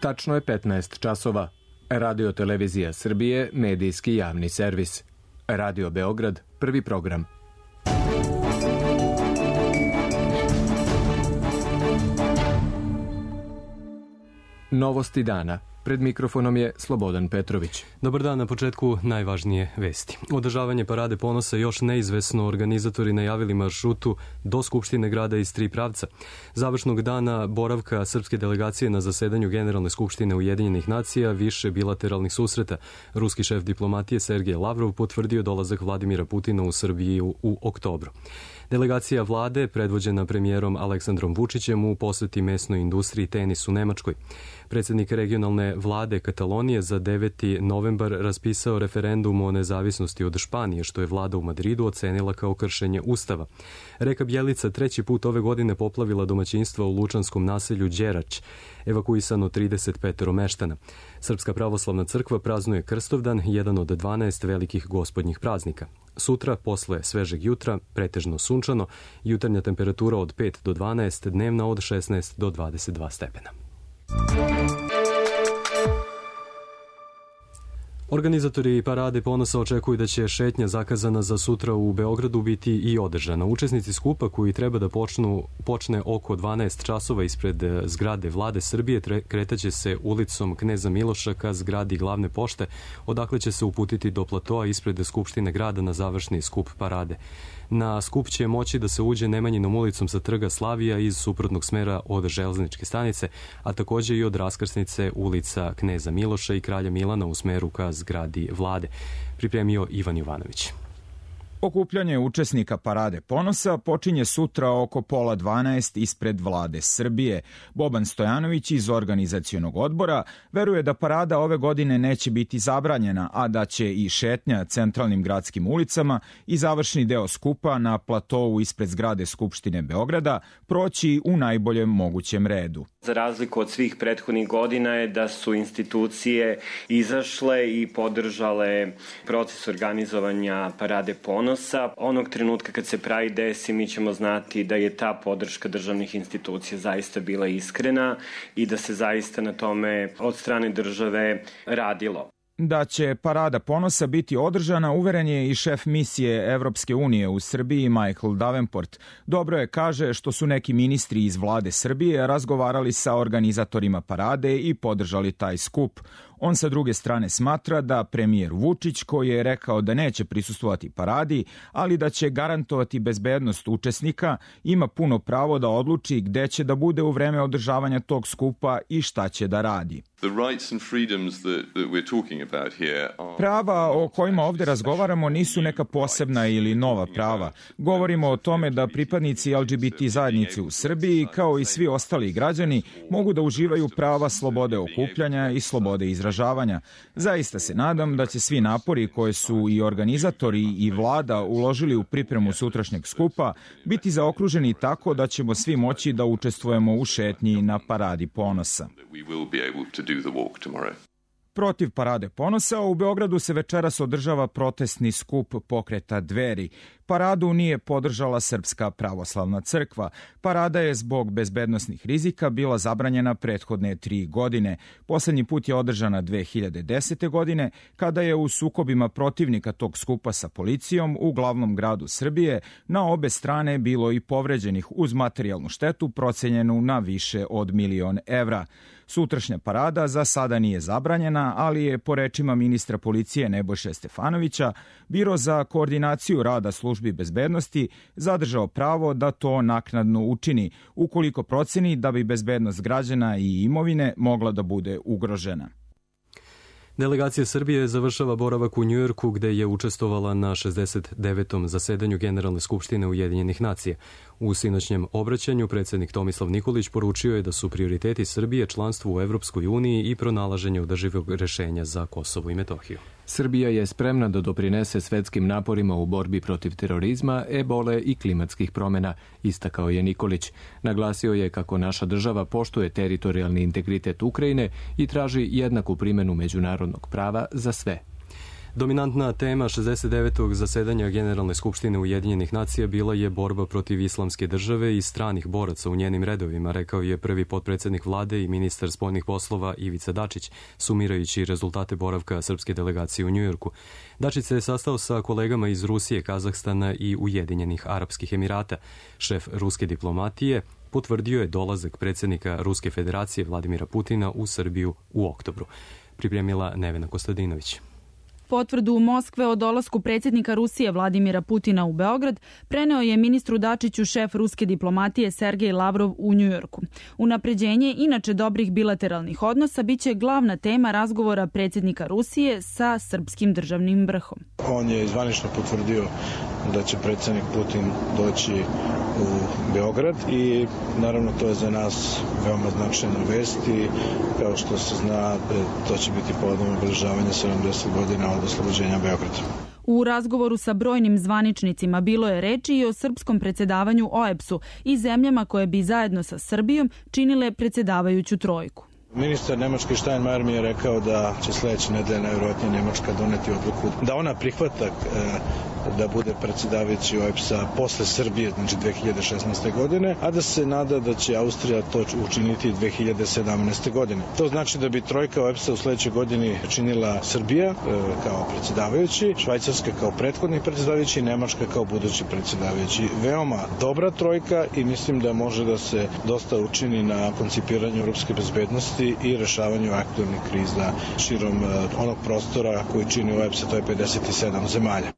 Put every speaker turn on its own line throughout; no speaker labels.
Tačno je 15 časova. Radio Televizija Srbije, medijski javni servis. Radio Beograd, prvi program. Novosti dana. Pred mikrofonom je Slobodan Petrović.
Dobar dan, na početku najvažnije vesti. Održavanje Parade ponosa još neizvesno, organizatori najavili maršrutu do Skupštine grada iz 3 pravca. Završnog dana boravka srpske delegacije na zasedanju Generalne skupštine Ujedinjenih nacija, više bilateralnih susreta. Ruski šef diplomatije Sergej Lavrov potvrdio dolazak Vladimira Putina u Srbiju u oktobru. Delegacija vlade, predvođena premijerom Aleksandrom Vučićem, u poseti mesnoj industriji tenis u Nemačkoj. Predsjednik regionalne vlade Katalonije za 9. novembar raspisao referendum o nezavisnosti od Španije, što je vlada u Madridu ocenila kao kršenje ustava. Reka Bjelica 3. put ove godine poplavila domaćinstva u lučanskom naselju Đerać, evakuisano 35 meštana. Srpska pravoslavna crkva praznuje Krstovdan, jedan od 12 velikih gospodnjih praznika. Sutra, posle svežeg jutra, pretežno sunčano, jutarnja temperatura od 5 do 12, dnevna od 16 do 22 stepena. Organizatori Parade ponosa očekuju da će šetnja zakazana za sutra u Beogradu biti i održana. Učesnici skupa, koji treba da počne oko 12 časova ispred zgrade Vlade Srbije, kretaće se ulicom Kneza Miloša ka zgradi Glavne pošte, odakle će se uputiti do platoa ispred Skupštine grada na završni skup Parade. Na skup će moći da se uđe Nemanjinom ulicom sa trga Slavija iz suprotnog smera od železničke stanice, a takođe i od raskrsnice ulica Kneza Miloša i Kralja Milana u smeru ka zgradi Vlade. Pripremio Ivan Jovanović.
Okupljanje učesnika Parade ponosa počinje sutra oko 11:30 ispred Vlade Srbije. Boban Stojanović iz organizacionog odbora veruje da parada ove godine neće biti zabranjena, a da će i šetnja centralnim gradskim ulicama i završni deo skupa na platovu ispred zgrade Skupštine Beograda proći u najboljem mogućem redu.
Za razliku od svih prethodnih godina je da su institucije izašle i podržale proces organizovanja Parade ponosa. Onog trenutka kad se pravi desi, mi ćemo znati da je ta podrška državnih institucija zaista bila iskrena i da se zaista na tome od strane države radilo.
Da će Parada ponosa biti održana, uveren je i šef misije Evropske unije u Srbiji Michael Davenport. Dobro je, kaže, što su neki ministri iz vlade Srbije razgovarali sa organizatorima parade i podržali taj skup. On sa druge strane smatra da premijer Vučić, koji je rekao da neće prisustvovati paradi, ali da će garantovati bezbednost učesnika, ima puno pravo da odluči gde će da bude u vreme održavanja tog skupa i šta će da radi. Prava o kojima ovde razgovaramo nisu neka posebna ili nova prava. Govorimo o tome da pripadnici LGBT zajednice u Srbiji, kao i svi ostali građani, mogu da uživaju prava slobode okupljanja i slobode izražavanja. Zaista se nadam da će svi napori koje su i organizatori i vlada uložili u pripremu sutrašnjeg skupa biti zaokruženi tako da ćemo svi moći da učestvujemo u šetnji na Paradi ponosa. Protiv Parade ponosa u Beogradu se večeras održava protestni skup pokreta Dveri. Paradu nije podržala Srpska pravoslavna crkva. Parada je zbog bezbednosnih rizika bila zabranjena prethodne 3 godine. Poslednji put je održana 2010. godine, kada je u sukobima protivnika tog skupa sa policijom u glavnom gradu Srbije na obe strane bilo i povređenih uz materijalnu štetu procenjenu na više od 1.000.000 evra. Sutrašnja parada za sada nije zabranjena, ali je, po rečima ministra policije Nebojše Stefanovića, Biro za koordinaciju rada službi bezbednosti zadržao pravo da to naknadno učini, ukoliko proceni da bi bezbednost građana i imovine mogla da bude ugrožena.
Delegacija Srbije završava boravak u Njujorku, gde je učestvovala na 69. zasedanju Generalne skupštine Ujedinjenih nacija. U sinoćnjem obraćanju predsjednik Tomislav Nikolić poručio je da su prioriteti Srbije članstvo u Evropskoj uniji i pronalaženje održivog rešenja za Kosovo i Metohiju.
Srbija je spremna da doprinese svetskim naporima u borbi protiv terorizma, ebole i klimatskih promjena, istakao je Nikolić. Naglasio je kako naša država poštuje teritorijalni integritet Ukrajine i traži jednaku primjenu međunarodnog prava za sve.
Dominantna tema 69. zasedanja Generalne skupštine Ujedinjenih nacija bila je borba protiv islamske države i stranih boraca u njenim redovima, rekao je prvi potpredsednik vlade i ministar spoljnih poslova Ivica Dačić, sumirajući rezultate boravka srpske delegacije u Njujorku. Dačić se je sastao sa kolegama iz Rusije, Kazahstana i Ujedinjenih Arapskih Emirata. Šef ruske diplomatije potvrdio je dolazak predsjednika Ruske federacije Vladimira Putina u Srbiju u oktobru. Pripremila Nevena Kostadinović.
Potvrdu u Moskve o dolasku predsjednika Rusije Vladimira Putina u Beograd preneo je ministru Dačiću šef ruske diplomatije Sergej Lavrov u Njujorku. Unapređenje inače dobrih bilateralnih odnosa biće glavna tema razgovora predsjednika Rusije sa srpskim državnim vrhom.
On je zvanično potvrdio da će predsjednik Putin doći u Beograd i naravno to je za nas veoma značajna vest i kao što se zna to će biti povodom obeležavanja 70 godina od oslobođenja Beograda.
U razgovoru sa brojnim zvaničnicima bilo je reči i o srpskom predsjedavanju OEBS-u i zemljama koje bi zajedno sa Srbijom činile predsjedavajuću trojku.
Ministar Nemačke Steinmeier mi je rekao da će sledeće nedelje najvjerojatnije Nemačka doneti odluku da ona prihvata da bude predsjedavajući OEBS-a posle Srbije, znači 2016. godine, a da se nada da će Austrija to učiniti 2017. godine. To znači da bi trojka OEBS-a u sledećoj godini činila Srbija kao predsjedavajući, Švajcarska kao prethodni predsjedavajući i Nemačka kao budući predsjedavajući. Veoma dobra trojka i mislim da može da se dosta učini na koncipiranju europske bezbednosti i rešavanju aktualnih kriza širom onog prostora koji čini OEBS-a, to je 57 zemalja.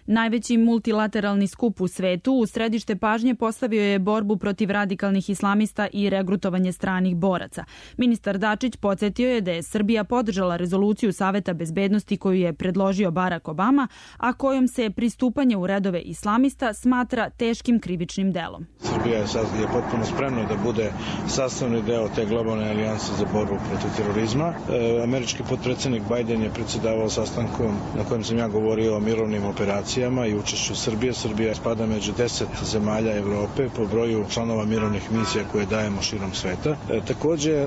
Najveći multilateralni skup u svetu u središte pažnje postavio je borbu protiv radikalnih islamista i regrutovanje stranih boraca. Ministar Dačić podsjetio je da je Srbija podržala rezoluciju Saveta bezbednosti koju je predložio Barack Obama, a kojom se pristupanje u redove islamista smatra teškim krivičnim delom.
Srbija je potpuno spremna da bude sastavni deo te globalne alijanse za borbu protiv terorizma. Američki potpredsjednik Biden je predsjedavao sastankom na kojem sam ja govorio o mirovnim operacijama i učešću Srbije. Srbija spada među 10 zemalja Evrope po broju članova mirovnih misija koje dajemo širom sveta. Takođe,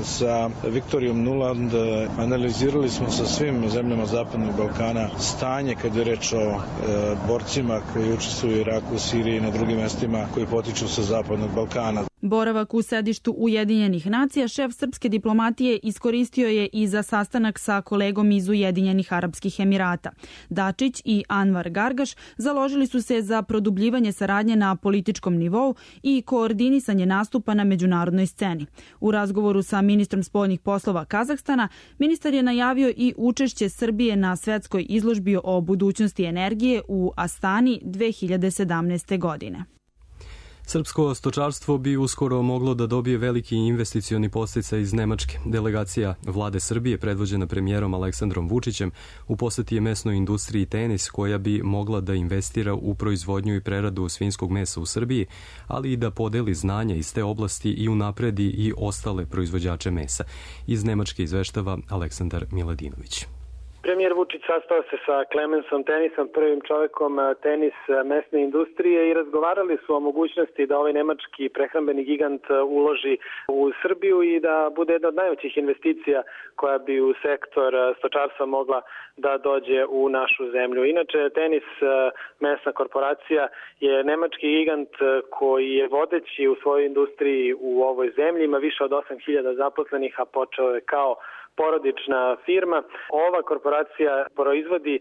sa Viktorijom Nuland analizirali smo sa svim zemljama Zapadnog Balkana stanje kad je reč o borcima koji učestvuju u Iraku, Siriji i na drugim mestima koji potiču sa Zapadnog Balkana.
Boravak u sedištu Ujedinjenih nacija šef srpske diplomatije iskoristio je i za sastanak sa kolegom iz Ujedinjenih Arapskih Emirata. Dačić i Anvar Gargaš založili su se za produbljivanje saradnje na političkom nivou i koordinisanje nastupa na međunarodnoj sceni. U razgovoru sa ministrom spoljnih poslova Kazahstana, ministar je najavio i učešće Srbije na svetskoj izložbi o budućnosti energije u Astani 2017. godine.
Srpsko stočarstvo bi uskoro moglo da dobije veliki investicioni podsticaj iz Nemačke. Delegacija vlade Srbije, predvođena premijerom Aleksandrom Vučićem, u poseti je mesnoj industriji Tenis, koja bi mogla da investira u proizvodnju i preradu svinjskog mesa u Srbiji, ali i da podeli znanja iz te oblasti i unapredi i ostale proizvođače mesa. Iz Nemačke izveštava Aleksandar Miladinović.
Premijer Vučić sastao se sa Clemensom Tenisom, prvim čovekom tenis mesne industrije i razgovarali su o mogućnosti da ovaj nemački prehrambeni gigant uloži u Srbiju i da bude jedna od najvećih investicija koja bi u sektor stočarstva mogla da dođe u našu zemlju. Inače, Tenis mesna korporacija je nemački gigant koji je vodeći u svojoj industriji u ovoj zemlji, ima više od 8.000 zaposlenih, a počeo je kao porodična firma. Ova korporacija proizvodi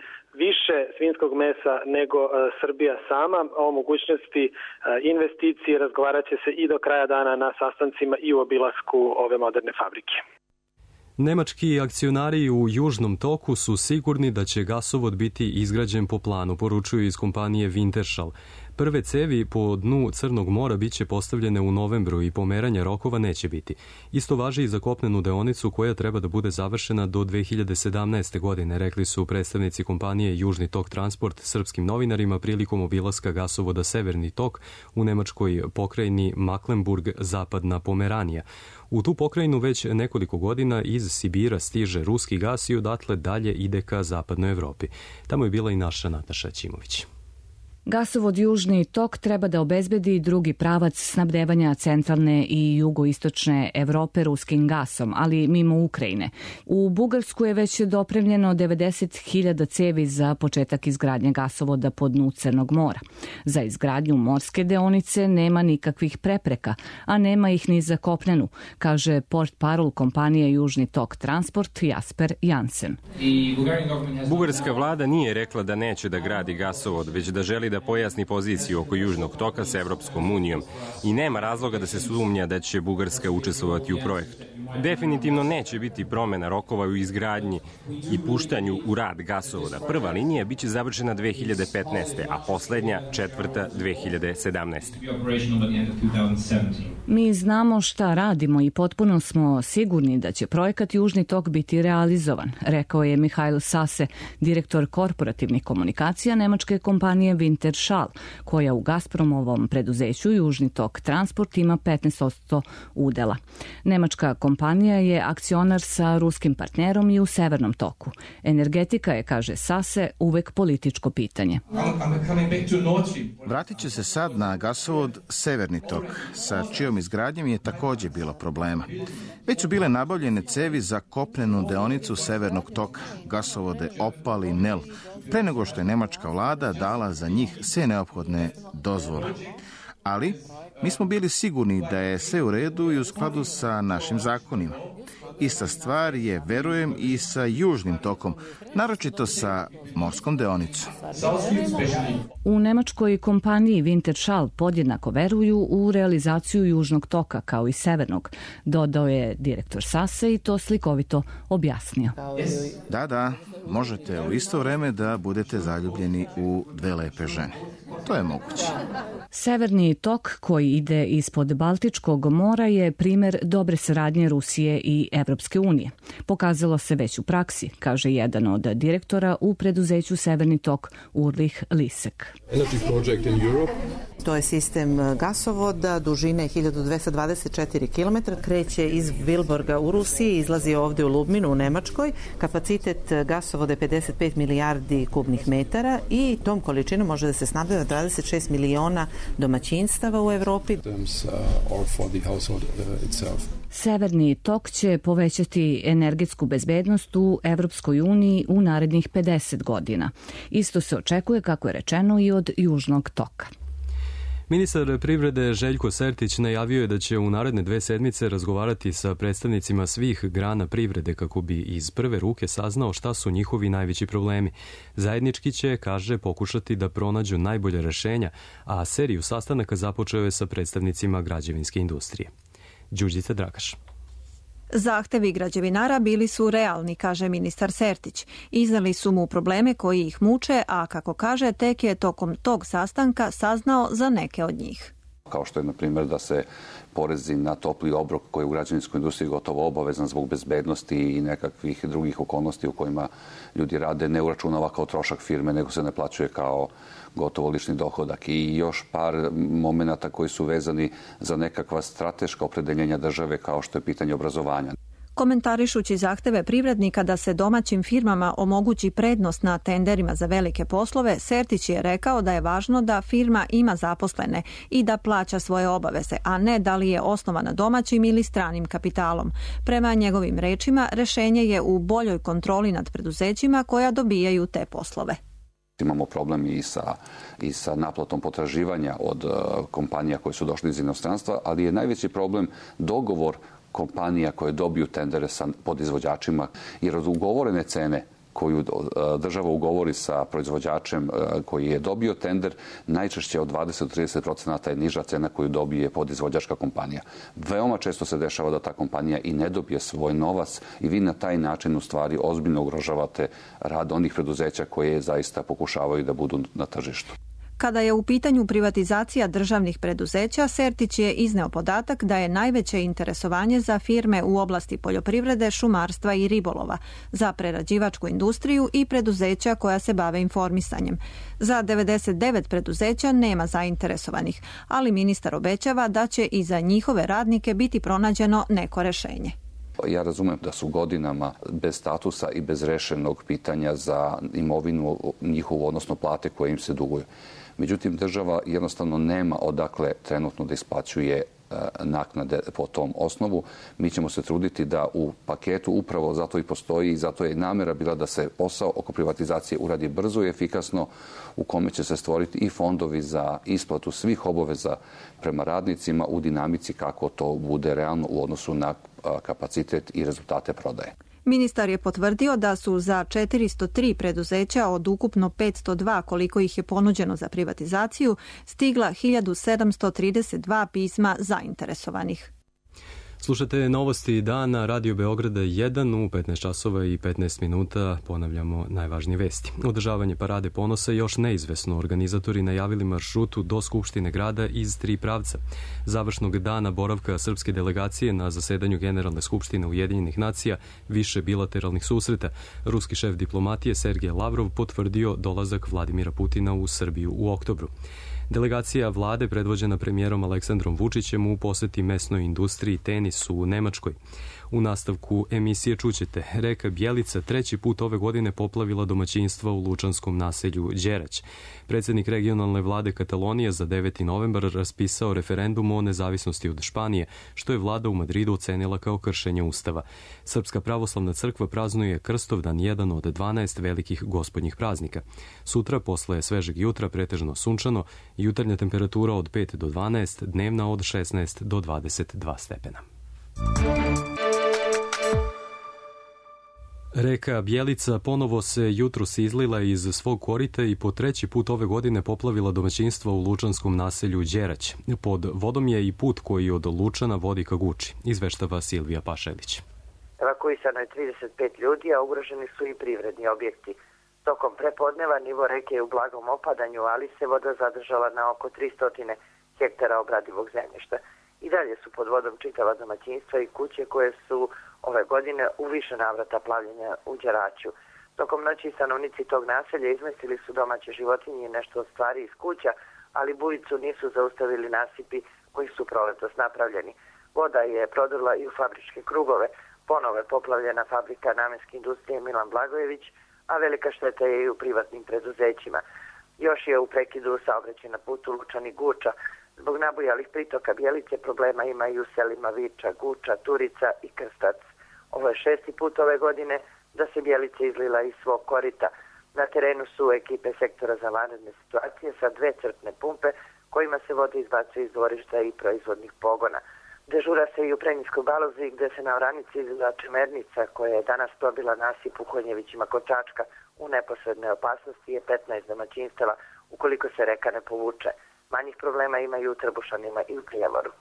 više svinjskog mesa nego Srbija sama. O mogućnosti investicije razgovarat će se i do kraja dana na sastancima i u obilasku ove moderne fabrike.
Nemački akcionari u Južnom toku su sigurni da će gasovod biti izgrađen po planu, poručuju iz kompanije Wintershall. Prve cevi po dnu Crnog mora biće postavljene u novembru i pomeranja rokova neće biti. Isto važi i za kopnenu deonicu koja treba da bude završena do 2017. godine, rekli su predstavnici kompanije Južni tok transport srpskim novinarima prilikom obilaska gasovoda Severni tok u nemačkoj pokrajini Mecklenburg-Zapadna Pomeranija. U tu pokrajinu već nekoliko godina iz Sibira stiže ruski gas i odatle dalje ide ka zapadnoj Evropi. Tamo je bila i naša Nataša Ćimović.
Gasovod Južni tok treba da obezbedi drugi pravac snabdevanja centralne i jugoistočne Evrope ruskim gasom, ali mimo Ukrajine. U Bugarsku je već dopremljeno 90.000 cevi za početak izgradnje gasovoda po dnu Crnog mora. Za izgradnju morske deonice nema nikakvih prepreka, a nema ih ni za kopnenu, kaže portparol kompanije Južni tok Transport Jasper Jansen.
Bugarska vlada nije rekla da neće da gradi gasovod, već da želi da pojasni poziciju oko Južnog toka sa Evropskom unijom i nema razloga da se sumnja da će Bugarska učestvovati u projektu. Definitivno neće biti promena rokova u izgradnji i puštanju u rad gasovoda. Prva linija biće završena 2015. a poslednja četvrta 2017.
Mi znamo šta radimo i potpuno smo sigurni da će projekat Južni tok biti realizovan, rekao je Mihajl Sase, direktor korporativnih komunikacija nemačke kompanije Wintershall, koja u Gazpromovom preduzeću Južni tok Transport ima 15% udela. Nemačka kompanija je akcionar sa ruskim partnerom i u Severnom toku. Energetika je, kaže Sase, uvek političko pitanje.
Vratit će se sad na gasovod Severni tok, sa čijom izgradnjom je također bilo problema. Već su bile nabavljene cevi za kopnenu deonicu Severnog toka, gasovode Opal i Nel, pre nego što je nemačka vlada dala za njih sve neophodne dozvole. Ali mi smo bili sigurni da je sve u redu i u skladu sa našim zakonima. Ista stvar je, verujem, i sa Južnim tokom, naročito sa morskom deonicom.
U nemačkoj kompaniji Wintershall podjednako veruju u realizaciju Južnog toka kao i Severnog, dodao je direktor Sase i to slikovito objasnio.
Da, možete u isto vreme da budete zaljubljeni u dve lepe žene. To je moguće.
Severni tok koji ide ispod Baltičkog mora je primer dobre saradnje Rusije i Evropske unije. Pokazalo se već u praksi, kaže jedan od direktora u preduzeću Severni tok Ulrich Lisek.
To je sistem gasovoda dužine 1224 km, kreće iz Vilborga u Rusiji, izlazi ovdje u Lubminu u Nemačkoj. Kapacitet gasovoda je 55 milijardi kubnih metara i tom količinom može da se snabdeva 26 miliona domaćinstava u Evropi.
Severni tok će povećati energetsku bezbednost u Evropskoj uniji u narednih 50 godina. Isto se očekuje, kako je rečeno, i od Južnog toka.
Ministar privrede Željko Sertić najavio je da će u naredne 2 sedmice razgovarati sa predstavnicima svih grana privrede kako bi iz prve ruke saznao šta su njihovi najveći problemi. Zajednički će, kaže, pokušati da pronađu najbolje rešenja, a seriju sastanaka započeo je sa predstavnicima građevinske industrije. Đurđica Dragaš.
Zahtevi građevinara bili su realni, kaže ministar Sertić. Iznali su mu probleme koji ih muče, a kako kaže, tek je tokom tog sastanka saznao za neke od njih.
Kao što je, na primjer, da se porezi na topli obrok koji je u građevinskoj industriji gotovo obavezan zbog bezbednosti i nekakvih drugih okolnosti u kojima ljudi rade, ne uračunava kao trošak firme, nego se ne plaćuje kao gotovo lični dohodak. I još par momenata koji su vezani za nekakva strateška opredeljenja države, kao što je pitanje obrazovanja.
Komentarišući zahteve privrednika da se domaćim firmama omogući prednost na tenderima za velike poslove, Sertić je rekao da je važno da firma ima zaposlene i da plaća svoje obaveze, a ne da li je osnovana domaćim ili stranim kapitalom. Prema njegovim rečima, rešenje je u boljoj kontroli nad preduzećima koja dobijaju te poslove.
Imamo problem i sa naplatom potraživanja od kompanija koje su došli iz inostranstva, ali je najveći problem dogovor kompanija koje dobiju tendere sa podizvođačima, jer od ugovorene cene koju država ugovori sa proizvođačem koji je dobio tender, najčešće od 20-30% je niža cena koju dobije podizvođačka kompanija. Veoma često se dešava da ta kompanija i ne dobije svoj novac i vi na taj način u stvari ozbiljno ugrožavate rad onih preduzeća koje zaista pokušavaju da budu na tržištu.
Kada je u pitanju privatizacija državnih preduzeća, Sertić je izneo podatak da je najveće interesovanje za firme u oblasti poljoprivrede, šumarstva i ribolova, za prerađivačku industriju i preduzeća koja se bave informisanjem. Za 99 preduzeća nema zainteresovanih, ali ministar obećava da će i za njihove radnike biti pronađeno neko rešenje.
Ja razumem da su godinama bez statusa i bez rešenog pitanja za imovinu njihovu, odnosno plate koje im se duguju. Međutim, država jednostavno nema odakle trenutno da isplaćuje naknade po tom osnovu. Mi ćemo se truditi da u paketu upravo zato i postoji i zato je namjera bila da se posao oko privatizacije uradi brzo i efikasno, u kome će se stvoriti i fondovi za isplatu svih obaveza prema radnicima u dinamici kako to bude realno u odnosu na kapacitet i rezultate prodaje.
Ministar je potvrdio da su za 403 preduzeća od ukupno 502 koliko ih je ponuđeno za privatizaciju stigla 1732 pisma zainteresovanih.
Slušate novosti dana Radio Beograda 1 u 15 časova i 15 minuta. Ponavljamo najvažnije vesti. Održavanje parade ponosa još neizvesno. Organizatori najavili maršrutu do Skupštine grada iz 3 pravca. Završnog dana boravka srpske delegacije na zasedanju Generalne skupštine Ujedinjenih nacija, više bilateralnih susreta. Ruski šef diplomatije Sergej Lavrov potvrdio dolazak Vladimira Putina u Srbiju u oktobru. Delegacija vlade predvođena premijerom Aleksandrom Vučićem u poseti mesnoj industriji tenisu u Nemačkoj. U nastavku emisije čućete, reka Bjelica 3. put ove godine poplavila domaćinstva u lučanskom naselju Đerać. Predsjednik regionalne vlade Katalonije za 9. novembar raspisao referendum o nezavisnosti od Španije, što je vlada u Madridu ocenila kao kršenje ustava. Srpska pravoslavna crkva praznuje Krstovdan, jedan od 12 velikih gospodnjih praznika. Sutra, posle svežeg jutra, pretežno sunčano, jutarnja temperatura od 5 do 12, dnevna od 16 do 22 stepena. Reka Bjelica ponovo se jutros izlila iz svog korita i po 3. put ove godine poplavila domaćinstva u lučanskom naselju Đerać. Pod vodom je i put koji od Lučana vodi ka Guči, izveštava Silvija Pašelić.
Evakuisano je 35 ljudi, a ugroženi su i privredni objekti. Tokom prepodneva nivo reke je u blagom opadanju, ali se voda zadržala na oko 300 hektara obradivog zemljišta. I dalje su pod vodom čitava domaćinstva i kuće koje su ove godine u više navrata plavljenja u Đeraću. Tokom noći stanovnici tog naselja izmestili su domaće životinje i nešto od stvari iz kuća, ali bujicu nisu zaustavili nasipi koji su proletos napravljeni. Voda je prodrla i u fabričke krugove, ponovo je poplavljena fabrika namenske industrije Milan Blagojević, a velika šteta je i u privatnim preduzećima. Još je u prekidu saobraćaj na putu Lučani Guča. Zbog nabujalih pritoka Bjelice problema ima i u selima Viča, Guča, Turica i Krstac. Ovo je 6. put ove godine da se Bjelica izlila iz svog korita. Na terenu su ekipe sektora za vanredne situacije sa 2 crpne pumpe kojima se voda izbacuje iz dvorišta i proizvodnih pogona. Dežura se i u Prenjskoj Balozi gde se na oranici izlila čemernica koja je danas probila nasip u Konjevićima kod Čačka. U neposrednoj opasnosti je 15 domaćinstava ukoliko se reka ne povuče. Manjih problema ima i u Trbušanima i u Prijevoru.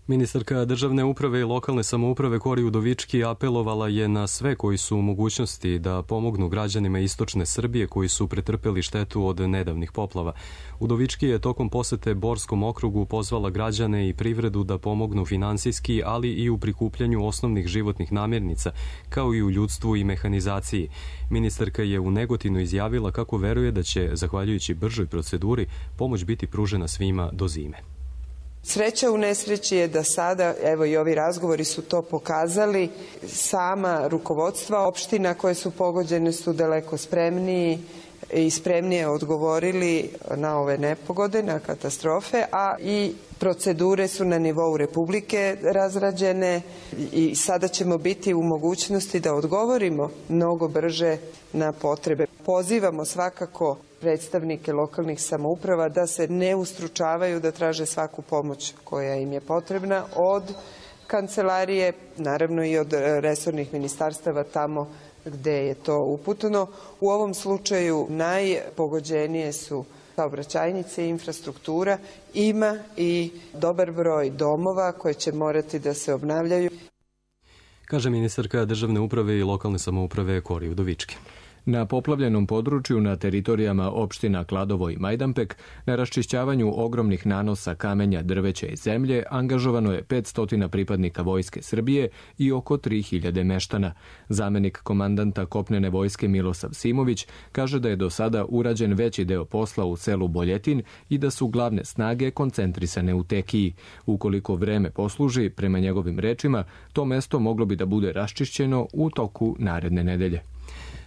Ministarka državne uprave i lokalne samouprave Kori Udovički apelovala je na sve koji su u mogućnosti da pomognu građanima istočne Srbije koji su pretrpeli štetu od nedavnih poplava. Udovički je tokom posete Borskom okrugu pozvala građane i privredu da pomognu finansijski, ali i u prikupljanju osnovnih životnih namirnica, kao i u ljudstvu i mehanizaciji. Ministarka je u Negotinu izjavila kako veruje da će, zahvaljujući bržoj proceduri, pomoć biti pružena svima do zime.
Sreća u nesreći je da sada, evo i ovi razgovori su to pokazali, sama rukovodstva opština koje su pogođene su daleko spremniji i spremnije odgovorili na ove nepogode, na katastrofe, a i procedure su na nivou Republike razrađene i sada ćemo biti u mogućnosti da odgovorimo mnogo brže na potrebe. Pozivamo svakako predstavnike lokalnih samouprava da se ne ustručavaju, da traže svaku pomoć koja im je potrebna od kancelarije, naravno i od resornih ministarstava tamo gde je to uputno. U ovom slučaju najpogođenije su saobraćajnice i infrastruktura. Ima i dobar broj domova koje će morati da se obnavljaju.
Kaže ministarka državne uprave i lokalne samouprave Kori Udovički.
Na poplavljenom području na teritorijama opština Kladovo i Majdanpek na raščišćavanju ogromnih nanosa kamenja, drveća i zemlje angažovano je 500 pripadnika Vojske Srbije i oko 3000 meštana. Zamenik komandanta kopnene vojske Milosav Simović kaže da je do sada urađen veći deo posla u selu Boljetin i da su glavne snage koncentrisane u Tekiji. Ukoliko vreme posluži, prema njegovim rečima, to mesto moglo bi da bude raščišćeno u toku naredne nedelje.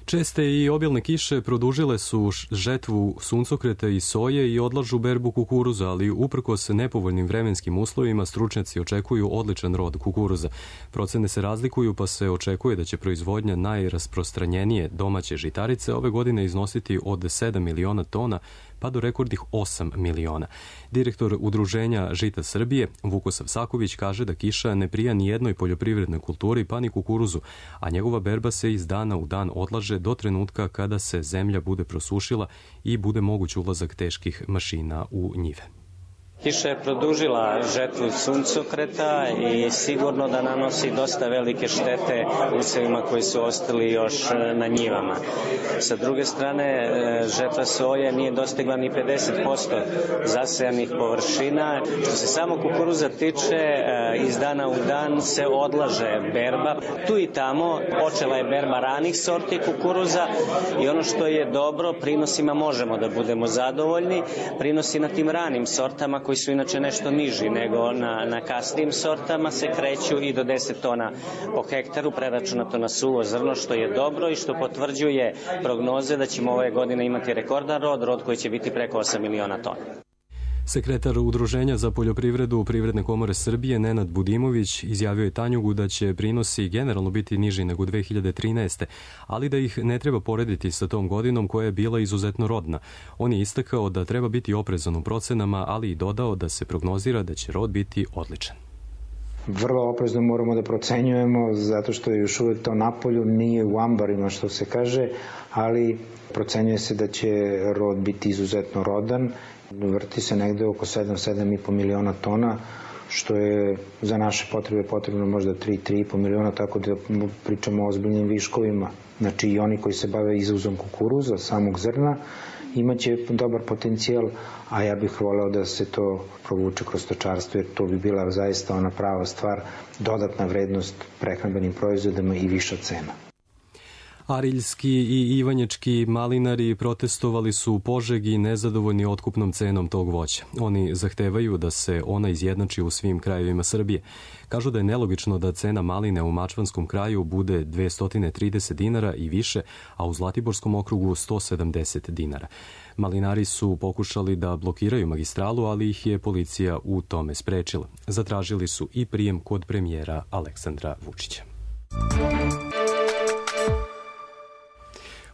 Česte i obilne kiše produžile su žetvu suncokreta i soje i odlažu berbu kukuruza, ali uprkos nepovoljnim vremenskim uslovima stručnjaci očekuju odličan rod kukuruza. Procene se razlikuju, pa se očekuje da će proizvodnja najrasprostranjenije domaće žitarice ove godine iznositi od 7 miliona tona pa do rekordnih 8 miliona. Direktor Udruženja Žita Srbije, Vukosav Saković, kaže da kiša ne prija ni jednoj poljoprivrednoj kulturi, pa ni kukuruzu, a njegova berba se iz dana u dan odlaže do trenutka kada se zemlja bude prosušila i bude moguć ulazak teških mašina u njive.
Kiša je produžila žetvu suncokreta i sigurno da nanosi dosta velike štete usevima koji su ostali još na njivama. Sa druge strane, žetva soje nije dostigla ni 50% zasejanih površina. Što se samo kukuruza tiče, iz dana u dan se odlaže berba. Tu i tamo počela je berba ranih sorti kukuruza i ono što je dobro, prinosima možemo da budemo zadovoljni. Prinosi na tim ranim sortama koji su inače nešto niži nego na kasnijim sortama se kreću i do 10 tona po hektaru preračunato na suvo zrno, što je dobro i što potvrđuje prognoze da ćemo ove godine imati rekordan rod koji će biti preko 8 miliona tona.
Sekretar Udruženja za poljoprivredu Privredne komore Srbije Nenad Budimović izjavio je Tanjugu da će prinosi generalno biti niži nego 2013. ali da ih ne treba porediti sa tom godinom koja je bila izuzetno rodna. On je istakao da treba biti oprezan u procenama, ali i dodao da se prognozira da će rod biti odličan.
Vrlo oprezno moramo da procenjujemo zato što je još uvek to napolju, nije u ambarima što se kaže, ali procenjuje se da će rod biti izuzetno rodan. Vrti se negde oko 7,5 miliona tona, što je za naše potrebe potrebno možda 3,5 miliona, tako da pričamo o ozbiljnim viškovima. Znači i oni koji se bave izvozom kukuruza, samog zrna, imaće dobar potencijal, a ja bih voleo da se to provuče kroz stočarstvo, jer to bi bila zaista ona prava stvar, dodatna vrednost prehrambenim proizvodima i viša cena.
Ariljski i ivanječki malinari protestovali su u Požegi nezadovoljni otkupnom cenom tog voća. Oni zahtevaju da se ona izjednači u svim krajevima Srbije. Kažu da je nelogično da cena maline u Mačvanskom kraju bude 230 dinara i više, a u Zlatiborskom okrugu 170 dinara. Malinari su pokušali da blokiraju magistralu, ali ih je policija u tome sprečila. Zatražili su i prijem kod premijera Aleksandra Vučića.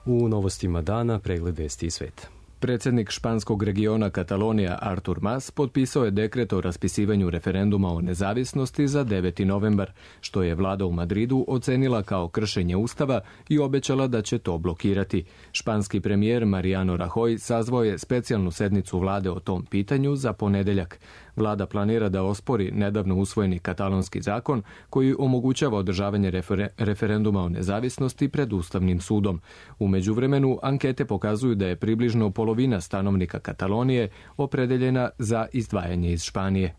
U novostima dana pregled vesti iz sveta.
Predsjednik španskog regiona Katalonija Artur Mas potpisao je dekret o raspisivanju referenduma o nezavisnosti za 9. novembar, što je vlada u Madridu ocenila kao kršenje ustava i obećala da će to blokirati. Španski premijer Mariano Rajoy sazvao je specijalnu sednicu vlade o tom pitanju za ponedeljak. Vlada planira da ospori nedavno usvojeni katalonski zakon koji omogućava održavanje referenduma o nezavisnosti pred Ustavnim sudom. U međuvremenu ankete pokazuju da je približno polovina stanovnika Katalonije opredeljena za izdvajanje iz Španije.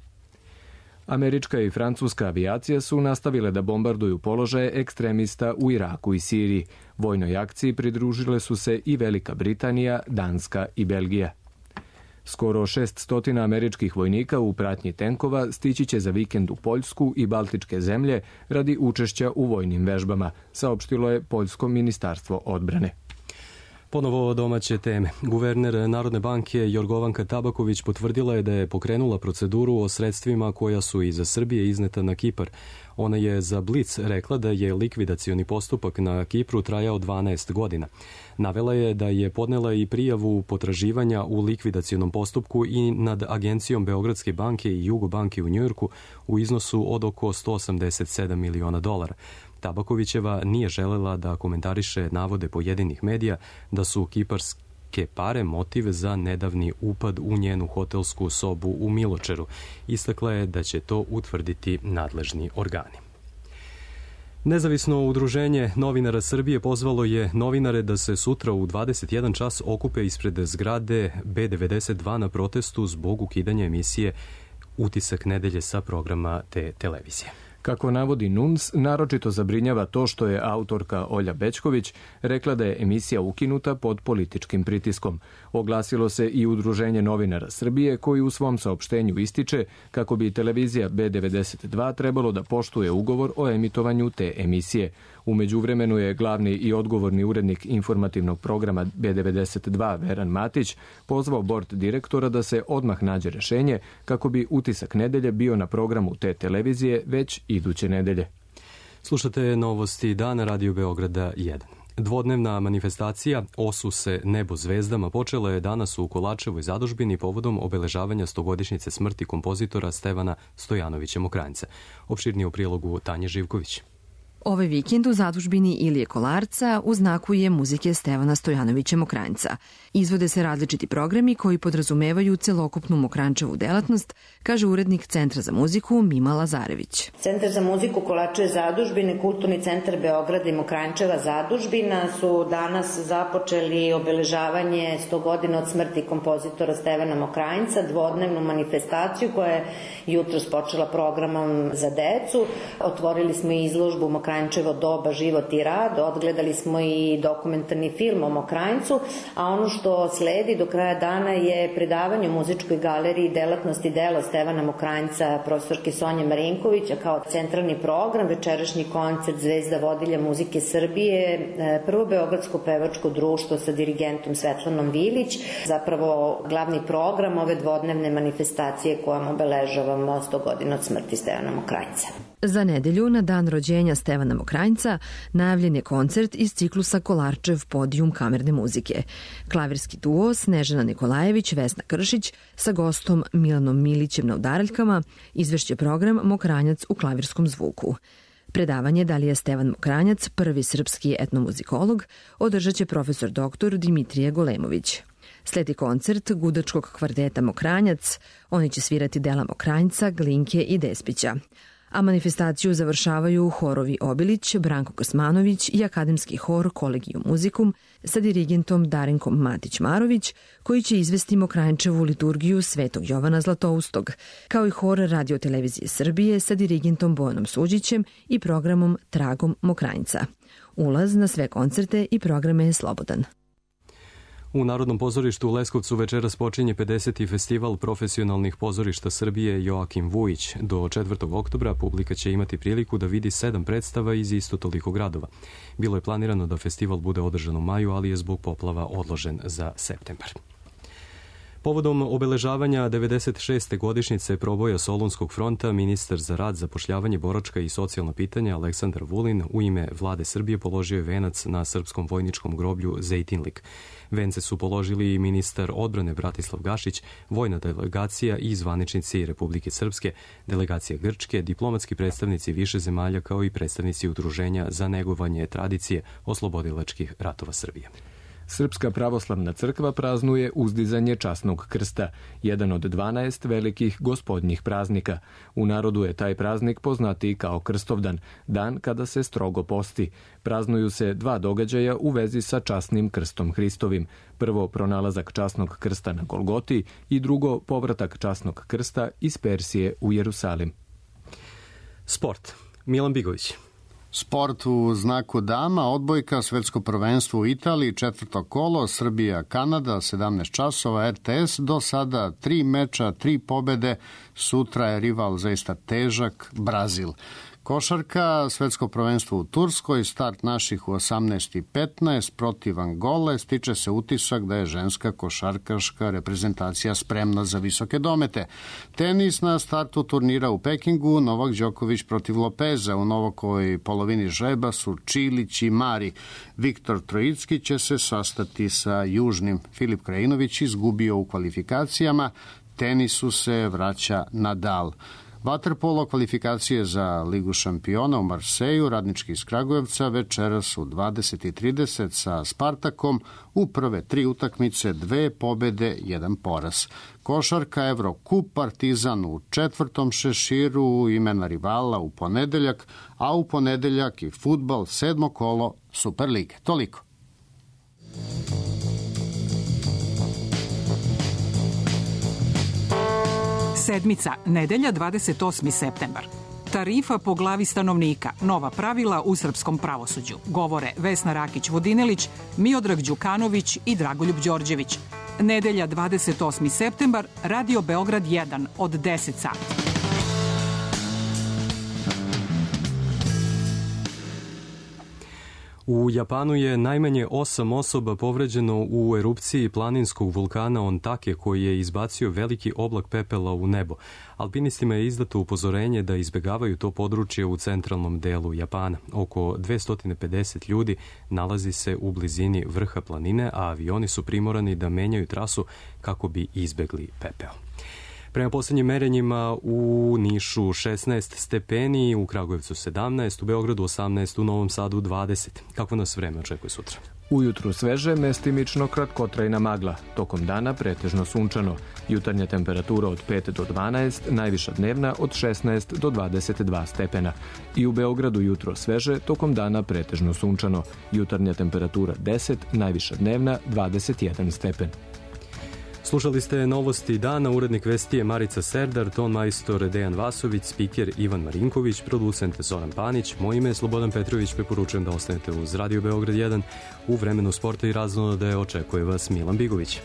Američka i francuska avijacija su nastavile da bombarduju položaje ekstremista u Iraku i Siriji. Vojnoj akciji pridružile su se i Velika Britanija, Danska i Belgija. Skoro 600 američkih vojnika u pratnji tenkova stići će za vikend u Poljsku i Baltičke zemlje radi učešća u vojnim vežbama, saopštilo je Poljsko ministarstvo odbrane.
Ponovo domaće teme. Guverner Narodne banke Jorgovanka Tabaković potvrdila je da je pokrenula proceduru o sredstvima koja su iz Srbije izneta na Kipar. Ona je za Blic rekla da je likvidacioni postupak na Kipru trajao 12 godina. Navela je da je podnela i prijavu potraživanja u likvidacionom postupku i nad Agencijom Beogradske banke i Jugobanke u Njujorku u iznosu od oko $187 miliona. Tabakovićeva nije želela da komentariše navode pojedinih medija da su kiparske pare motiv za nedavni upad u njenu hotelsku sobu u Miločeru. Istakla je da će to utvrditi nadležni organi. Nezavisno udruženje novinara Srbije pozvalo je novinare da se sutra u 21 čas okupe ispred zgrade B92 na protestu zbog ukidanja emisije Utisak nedelje sa programa te televizije.
Kako navodi NUNS, naročito zabrinjava to što je autorka Olja Bećković rekla da je emisija ukinuta pod političkim pritiskom. Oglasilo se i Udruženje novinara Srbije koji u svom saopštenju ističe kako bi televizija B92 trebalo da poštuje ugovor o emitovanju te emisije. U međuvremenu je glavni i odgovorni urednik informativnog programa B92 Veran Matić pozvao bord direktora da se odmah nađe rešenje kako bi Utisak nedelje bio na programu te televizije već iduće nedelje.
Slušate novosti dana Radio Beograda 1. Dvodnevna manifestacija Osu se nebo zvezdama počela je danas u Kolarčevoj zadužbini povodom obeležavanja 100-godišnjice smrti kompozitora Stevana Stojanovića Mokranjca. Opširnije u prilogu Tanje Živković.
Ovaj vikend u zadužbini Ilije Kolarca u znaku je muzike Stevana Stojanovića Mokranjca. Izvode se različiti programi koji podrazumevaju celokupnu Mokranjčevu delatnost, kaže urednik Centra za muziku Mima Lazarević.
Centar za muziku Kolarčeve zadužbine, Kulturni centar Beograda i Mokranjčeva zadužbina su danas započeli obeležavanje 100 godina od smrti kompozitora Stevana Mokranjca, dvodnevnu manifestaciju koja je jutros počela programom za decu. Otvorili smo i izložbu Mokranjčevo doba, život i rad, odgledali smo i dokumentarni film o Mokranjcu, a ono što sledi do kraja dana je predavanje u muzičkoj galeriji delatnosti dela Stevana Mokranjca profesorke Sonje Marinković, a kao centralni program večerašnji koncert Zvezda vodilja muzike Srbije, prvo beogradsko pevačko društvo sa dirigentom Svetlanom Vilić, zapravo glavni program ove dvodnevne manifestacije kojom obeležavamo 100 godina od smrti Stevana Mokranjca.
Za nedelju, na dan rođenja Stevana Mokranjca, najavljen je koncert iz ciklusa Kolarčev podijum kamerne muzike. Klavirski duo Snežana Nikolajević, Vesna Kršić sa gostom Milanom Milićem na udaraljkama izvešće program Mokranjac u klavirskom zvuku. Predavanje da li je Stevan Mokranjac prvi srpski etnomuzikolog održat će profesor dr. Dimitrije Golemović. Sledi koncert gudačkog kvardeta Mokranjac, oni će svirati dela Mokranjca, Glinke i Despića. A manifestaciju završavaju horovi Obilić, Branko Kosmanović i akademski hor Kolegijum Muzikum sa dirigentom Darenkom Matić-Marović, koji će izvesti Mokranjčevu liturgiju Svetog Jovana Zlatoustog, kao i hor Radio-televizije Srbije sa dirigentom Bojanom Suđićem i programom Tragom Mokranjca. Ulaz na sve koncerte i programe je slobodan.
U Narodnom pozorištu u Leskovcu večeras počinje 50. festival profesionalnih pozorišta Srbije Joakim Vujić. Do 4. oktobra publika će imati priliku da vidi 7 predstava iz isto toliko gradova. Bilo je planirano da festival bude održan u maju, ali je zbog poplava odložen za septembar. Povodom obeležavanja 96. godišnjice proboja Solunskog fronta, ministar za rad, zapošljavanje, boračka i socijalna pitanja Aleksandar Vulin u ime vlade Srbije položio je venac na srpskom vojničkom groblju Zejtinlik. Vence su položili i ministar odbrane Bratislav Gašić, vojna delegacija i zvaničnici Republike Srpske, delegacija Grčke, diplomatski predstavnici više zemalja kao i predstavnici udruženja za negovanje tradicije oslobodilačkih ratova Srbije.
Srpska pravoslavna crkva praznuje uzdizanje časnog krsta, jedan od 12 velikih gospodnjih praznika. U narodu je taj praznik poznatiji kao Krstovdan, dan kada se strogo posti. Praznuju se 2 događaja u vezi sa časnim krstom Hristovim. Prvo, pronalazak časnog krsta na Golgoti i drugo, povratak časnog krsta iz Persije u Jerusalim.
Sport. Milan Bigović.
Sport u znaku dama, odbojka, svetsko prvenstvo u Italiji, 4. kolo, Srbija, Kanada, 17 časova, RTS, do sada 3 meča, 3 pobede, sutra je rival zaista težak, Brazil. Košarka, svetsko prvenstvo u Turskoj, start naših u 18:15 protiv Angole, stiče se utisak da je ženska košarkaška reprezentacija spremna za visoke domete. Tenis na startu turnira u Pekingu, Novak Đoković protiv Lopeza, u Novakoj polovini žreba su Čilić i Mari. Viktor Trojicki će se sastati sa Južnim. Filip Krajinović izgubio u kvalifikacijama, tenisu se vraća Nadal. Vaterpolo kvalifikacije za Ligu šampiona u Marseju, radnički iz Kragujevca, večeras u 20:30 sa Spartakom, u prve 3 utakmice 2 pobede, 1 poraz. Košarka, Evrokup, Partizan u 4. šeširu, imena rivala u ponedeljak, a u ponedeljak i fudbal, 7. kolo Superlige. Toliko.
Sedmica, nedelja, 28. septembar. Tarifa po glavi stanovnika, nova pravila u srpskom pravosuđu. Govore Vesna Rakić-Vodinelić, Miodrag Đukanović i Dragoljub Đorđević. Nedelja, 28. septembar, Radio Beograd 1 od 10 sati.
U Japanu je najmanje 8 osoba povređeno u erupciji planinskog vulkana Ontake koji je izbacio veliki oblak pepela u nebo. Alpinistima je izdato upozorenje da izbegavaju to područje u centralnom delu Japana. Oko 250 ljudi nalazi se u blizini vrha planine, a avioni su primorani da menjaju trasu kako bi izbegli pepeo. Prema posljednjim merenjima u Nišu 16 stepeni, u Kragujevcu 17, u Beogradu 18, u Novom Sadu 20. Kako nas vreme očekuje sutra?
Ujutru sveže, mestimično kratkotrajna magla. Tokom dana pretežno sunčano. Jutarnja temperatura od 5 do 12, najviša dnevna od 16 do 22 stepena. I u Beogradu jutro sveže, tokom dana pretežno sunčano. Jutarnja temperatura 10, najviša dnevna 21 stepen.
Slušali ste novosti dana, urednik vesti je Marica Serdar, ton majstor Dejan Vasović, spiker Ivan Marinković, producent Zoran Panić, moje ime je Slobodan Petrović, preporučujem da ostanete uz Radio Beograd 1. U vremenu sporta i raznolade očekuje vas Milan Bigović.